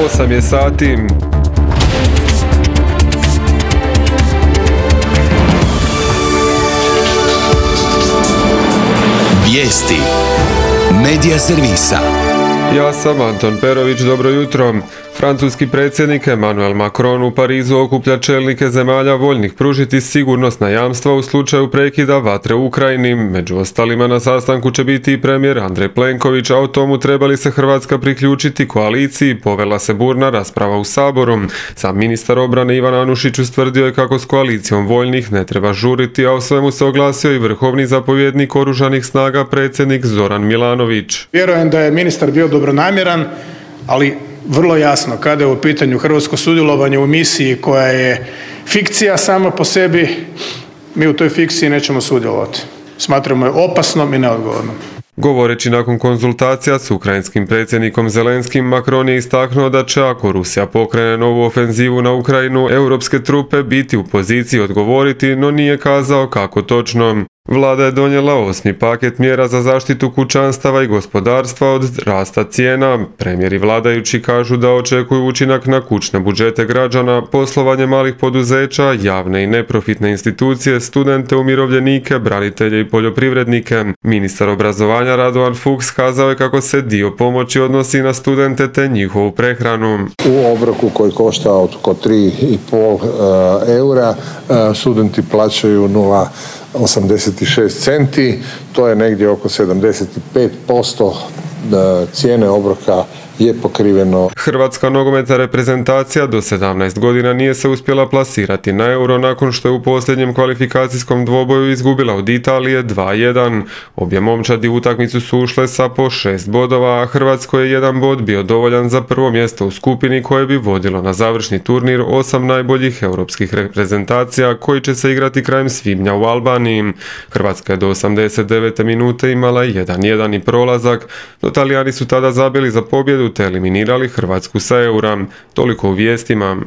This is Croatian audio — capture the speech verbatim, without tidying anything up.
osam je sati. Vijesti Medija servisa. Ja sam Anton Perović, dobro jutro. Francuski predsjednik Emmanuel Macron u Parizu okuplja čelnike zemalja voljnih pružiti sigurnosna jamstva u slučaju prekida vatre u Ukrajini. Među ostalima na sastanku će biti i premijer Andrej Plenković, a o tomu treba li se Hrvatska priključiti koaliciji povela se burna rasprava u Saboru. Sam ministar obrane Ivan Anušić ustvrdio je kako s koalicijom voljnih ne treba žuriti, a o svemu se oglasio i vrhovni zapovjednik oružanih snaga predsjednik Zoran Milanović. Vjerujem da je ministar bio dobronamjeran, ali vrlo jasno kada je u pitanju hrvatsko sudjelovanje u misiji koja je fikcija sama po sebi, mi u toj fikciji nećemo sudjelovati. Smatramo je opasnom i neodgovornom. Govoreći nakon konzultacija s ukrajinskim predsjednikom Zelenskim, Macron je istaknuo da će, ako Rusija pokrene novu ofenzivu na Ukrajinu, europske trupe biti u poziciji odgovoriti, no nije kazao kako točno. Vlada je donijela osmi paket mjera za zaštitu kućanstava i gospodarstva od rasta cijena. Premijeri vladajući kažu da očekuju učinak na kućne budžete građana, poslovanje malih poduzeća, javne i neprofitne institucije, studente, umirovljenike, branitelje i poljoprivrednike. Ministar obrazovanja Radovan Fuchs kazao je kako se dio pomoći odnosi na studente te njihovu prehranu. U obroku koji košta oko tri i pol eura, studenti plaćaju nula osamdeset šest centi, to je negdje oko sedamdeset pet posto cijene obroka je pokriveno. Hrvatska nogometna reprezentacija do sedamnaest godina nije se uspjela plasirati na Euro nakon što je u posljednjem kvalifikacijskom dvoboju izgubila od Italije dva jedan. Obje momčadi u utakmicu su ušle sa po šest bodova, a Hrvatskoj je jedan bod bio dovoljan za prvo mjesto u skupini koje bi vodilo na završni turnir osam najboljih europskih reprezentacija koji će se igrati krajem svibnja u Albaniji. Hrvatska je do osamdeset devete minute imala jedan jedan i prolazak, no Talijani su tada zabili za pobjedu te eliminirali Hrvatsku sa Eura. Toliko u vijestima.